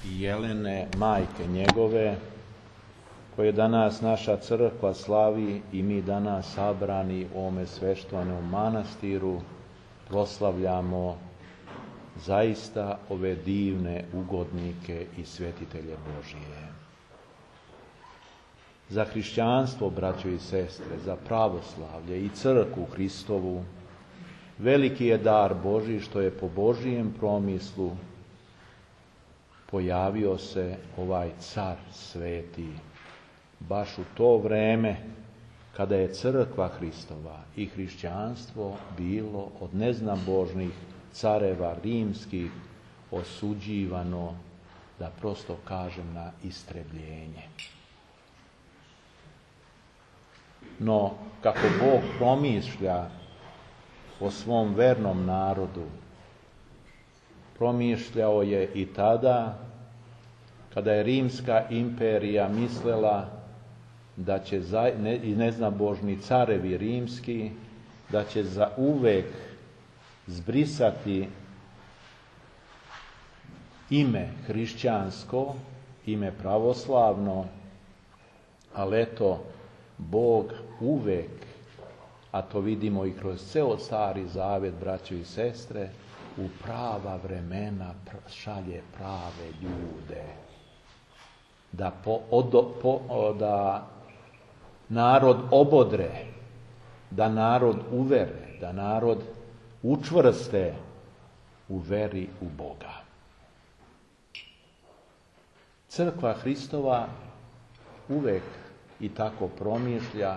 i Jelene, majke njegove, koje danas naša crkva slavi i mi danas sabrani u ovome sveštenom manastiru proslavljamo zaista ove divne ugodnike i svetitelje Božije. Za hrišćanstvo, braćo i sestre, za pravoslavlje i crkvu Hristovu, veliki je dar Božji što je po Božijem promislu pojavio se ovaj car sveti, baš u to vreme kada je crkva Hristova i hrišćanstvo bilo od neznabožnih careva rimskih osuđivano, da prosto kažem, na istrebljenje. No, kako Bog promišlja o svom vernom narodu, promišljao je i tada kada je Rimska imperija mislila da će i neznabožni carevi rimski da će za uvek zbrisati ime hrišćansko, ime pravoslavno, ali eto, Bog uvek, a to vidimo i kroz ceo Stari Zavet, braćo i sestre, u prava vremena šalje prave ljude. Da narod obodre, da narod uvere, da narod učvrste u veri u Boga. Crkva Hristova uvek i tako promišlja,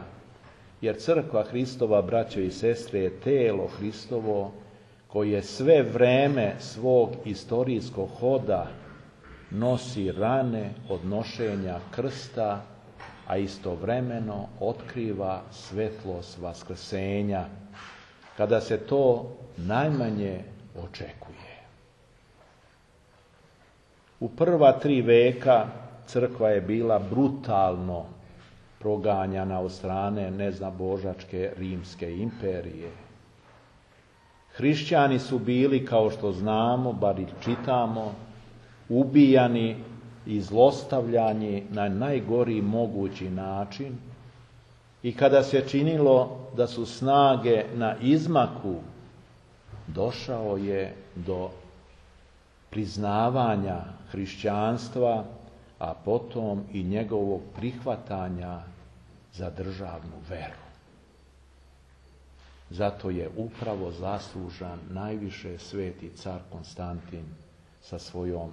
jer crkva Hristova, braćo i sestre, je telo Hristovo koje sve vreme svog istorijskog hoda nosi rane od nošenja krsta, a istovremeno otkriva svetlost vaskrsenja, kada se to najmanje očekuje. U prva 3 veka crkva je bila brutalno proganjana od strane neznabožačke Rimske imperije. Hrišćani su bili, kao što znamo, bar i čitamo, ubijani i zlostavljani na najgori mogući način, i kada se činilo da su snage na izmaku, došao je do priznavanja hrišćanstva, a potom i njegovog prihvatanja za državnu veru. Zato je upravo zaslužan najviše sveti car Konstantin sa svojom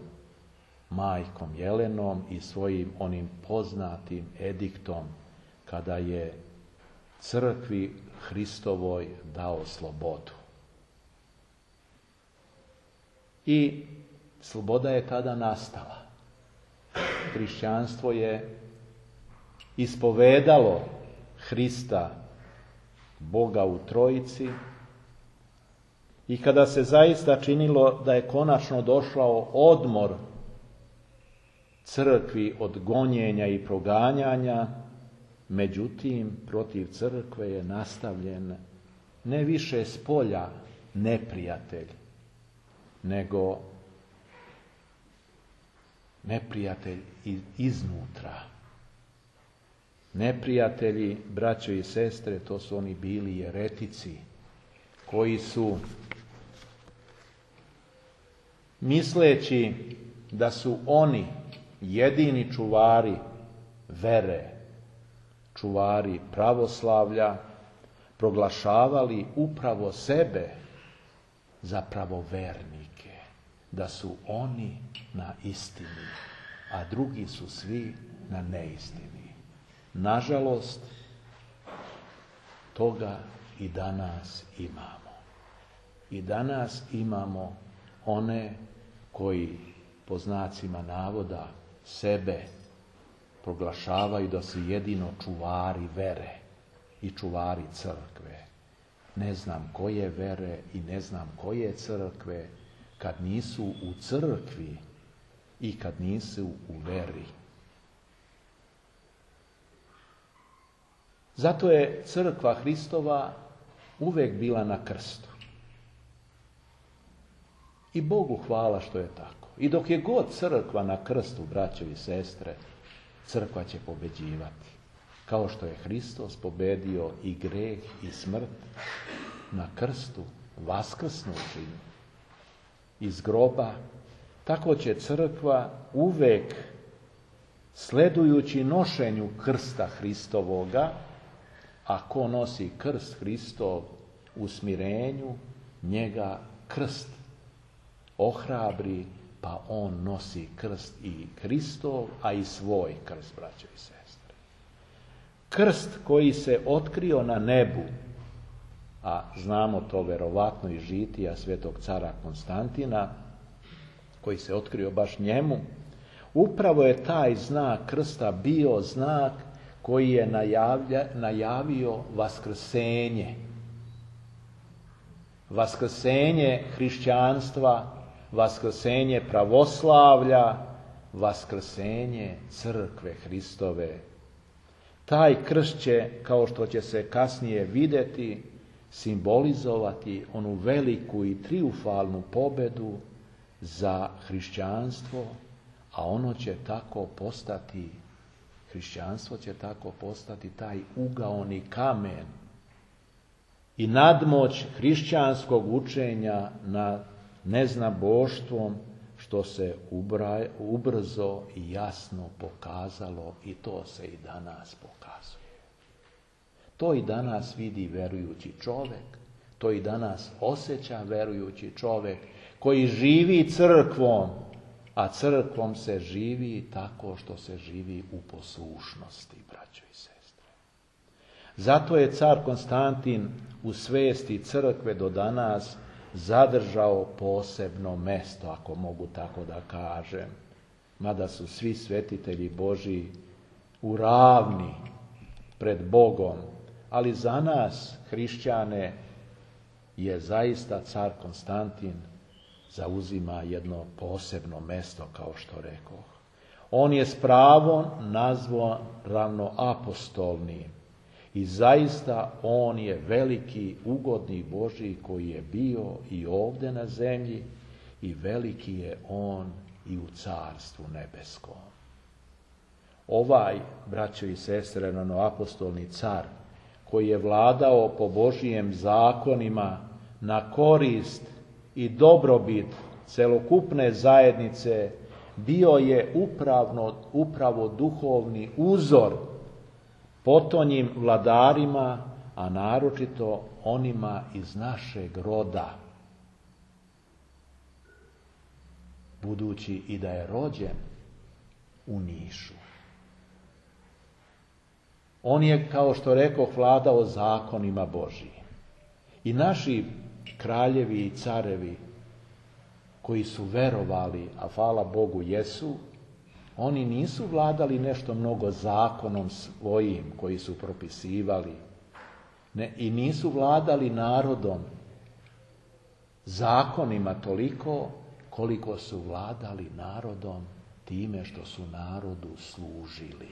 majkom Jelenom i svojim onim poznatim ediktom kada je crkvi Hristovoj dao slobodu. I sloboda je tada nastala. Hrišćanstvo je ispovedalo Hrista, Boga u Trojici, i kada se zaista činilo da je konačno došao odmor crkvi od gonjenja i proganjanja, međutim, protiv crkve je nastavljen ne više spolja neprijatelj, nego neprijatelj iznutra. Neprijatelji, braćo i sestre, to su oni bili jeretici, koji su, misleći da su oni jedini čuvari vere, čuvari pravoslavlja, proglašavali upravo sebe za pravovernike, da su oni na istini, a drugi su svi na neistini. Nažalost, toga i danas imamo. I danas imamo one koji, po znacima navoda, sebe proglašavaju da su jedino čuvari vere i čuvari crkve. Ne znam koje vere i ne znam koje crkve kad nisu u crkvi i kad nisu u veri. Zato je crkva Hristova uvek bila na krstu. I Bogu hvala što je tako. I dok je god crkva na krstu, braćo i sestre, crkva će pobeđivati. Kao što je Hristos pobedio i greh i smrt na krstu, vaskrsnući iz groba, tako će crkva uvek, sledujući nošenju krsta Hristovoga, a ko nosi krst Hristov u smirenju, njega krst ohrabri, pa on nosi krst i Hristov, a i svoj krst, braćo i sestre. Krst koji se otkrio na nebu, a znamo to verovatno iz žitija svetog cara Konstantina, koji se otkrio baš njemu, upravo je taj znak krsta bio znak koji je najavio vaskrsenje. Vaskrsenje hrišćanstva, vaskrsenje pravoslavlja, vaskrsenje crkve Hristove. Taj krst će, kao što će se kasnije vidjeti, simbolizovati onu veliku i trijumfalnu pobedu za hrišćanstvo, a ono će tako postati, hrišćanstvo će tako postati taj ugaoni kamen i nadmoć hrišćanskog učenja nad neznaboštvom, što se ubrzo i jasno pokazalo, i to se i danas pokazuje. To i danas vidi verujući čovjek, to i danas osjeća verujući čovjek koji živi crkvom, a crkvom se živi tako što se živi u poslušnosti, braćo i sestre. Zato je car Konstantin u svesti crkve do danas zadržao posebno mesto, ako mogu tako da kažem, mada su svi svetitelji Božji u ravni pred Bogom, ali za nas, hrišćane, je zaista car Konstantin zauzima jedno posebno mesto, kao što rekoh. On je s pravom nazvan ravnoapostolnim i zaista on je veliki ugodnik Božji koji je bio i ovdje na zemlji i veliki je on i u carstvu nebeskom. Ovaj, braćo i sestre, ravnoapostolni car, koji je vladao po Božijem zakonima na korist i dobrobit celokupne zajednice, bio je upravo duhovni uzor potonjim vladarima, a naročito onima iz našeg roda, budući i da je rođen u Nišu. On je, kao što rekoh, vladao zakonima Božijim. I naši kraljevi i carevi koji su verovali, a hvala Bogu jesu, oni nisu vladali nešto mnogo zakonom svojim koji su propisivali, ne, i nisu vladali narodom zakonima toliko koliko su vladali narodom time što su narodu služili.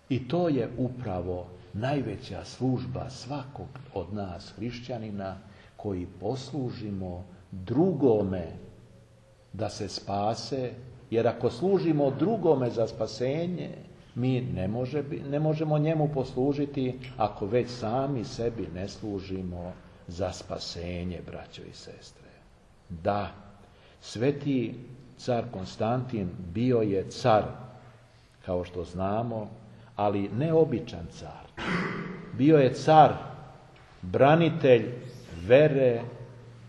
I to je upravo najveća služba svakog od nas hrišćanina, koji poslužimo drugome da se spase, jer ako služimo drugome za spasenje, mi ne možemo njemu poslužiti ako već sami sebi ne služimo za spasenje, braćo i sestre. Da, sveti car Konstantin bio je car, kao što znamo, ali ne običan car. Bio je car, branitelj vere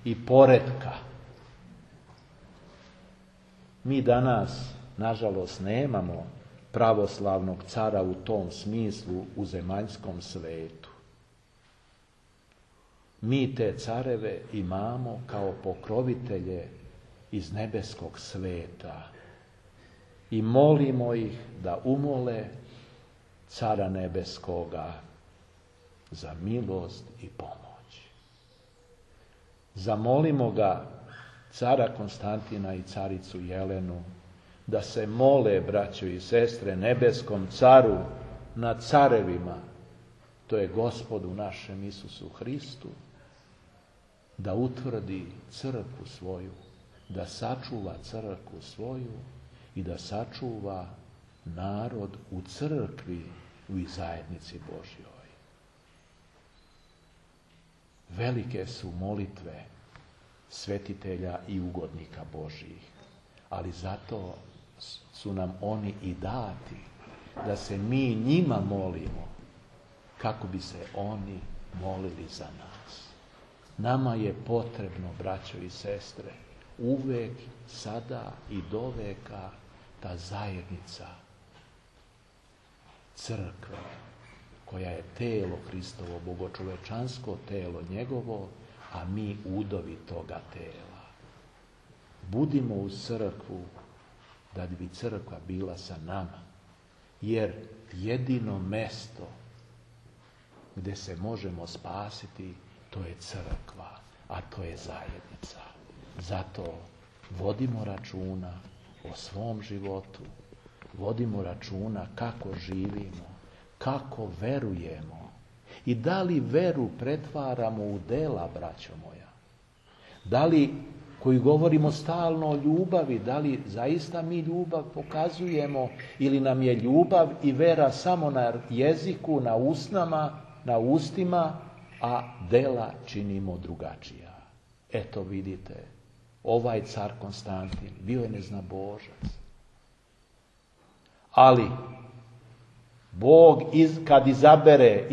i poretka. Mi danas, nažalost, nemamo pravoslavnog cara u tom smislu u zemaljskom svetu. Mi te careve imamo kao pokrovitelje iz nebeskog sveta i molimo ih da umole cara nebeskoga za milost i pomoć. Zamolimo ga, cara Konstantina i caricu Jelenu, da se mole, braćo i sestre, nebeskom caru nad carevima, to je Gospodu našem Isusu Hristu, da utvrdi crkvu svoju, da sačuva crkvu svoju i da sačuva narod u crkvi u zajednici Božjoj. Velike su molitve svetitelja i ugodnika Božjih, ali zato su nam oni i dati, da se mi njima molimo, kako bi se oni molili za nas. Nama je potrebno, braćo i sestre, uvek, sada i doveka, ta zajednica crkve, koja je telo Hristovo, bogočovečansko telo njegovo, a mi udovi toga tela. Budimo u crkvu, da bi crkva bila sa nama, jer jedino mesto gdje se možemo spasiti, to je crkva, a to je zajednica. Zato vodimo računa o svom životu, vodimo računa kako živimo, kako verujemo i da li veru pretvaramo u dela, braćo moja. Da li, koji govorimo stalno o ljubavi, da li zaista mi ljubav pokazujemo ili nam je ljubav i vera samo na jeziku, na ustima, a dela činimo drugačija. Eto vidite, ovaj car Konstantin bio je neznabožac. Ali Bog kad izabere,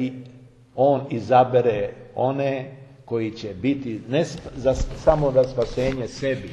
on izabere one koji će biti ne samo za spasenje sebi,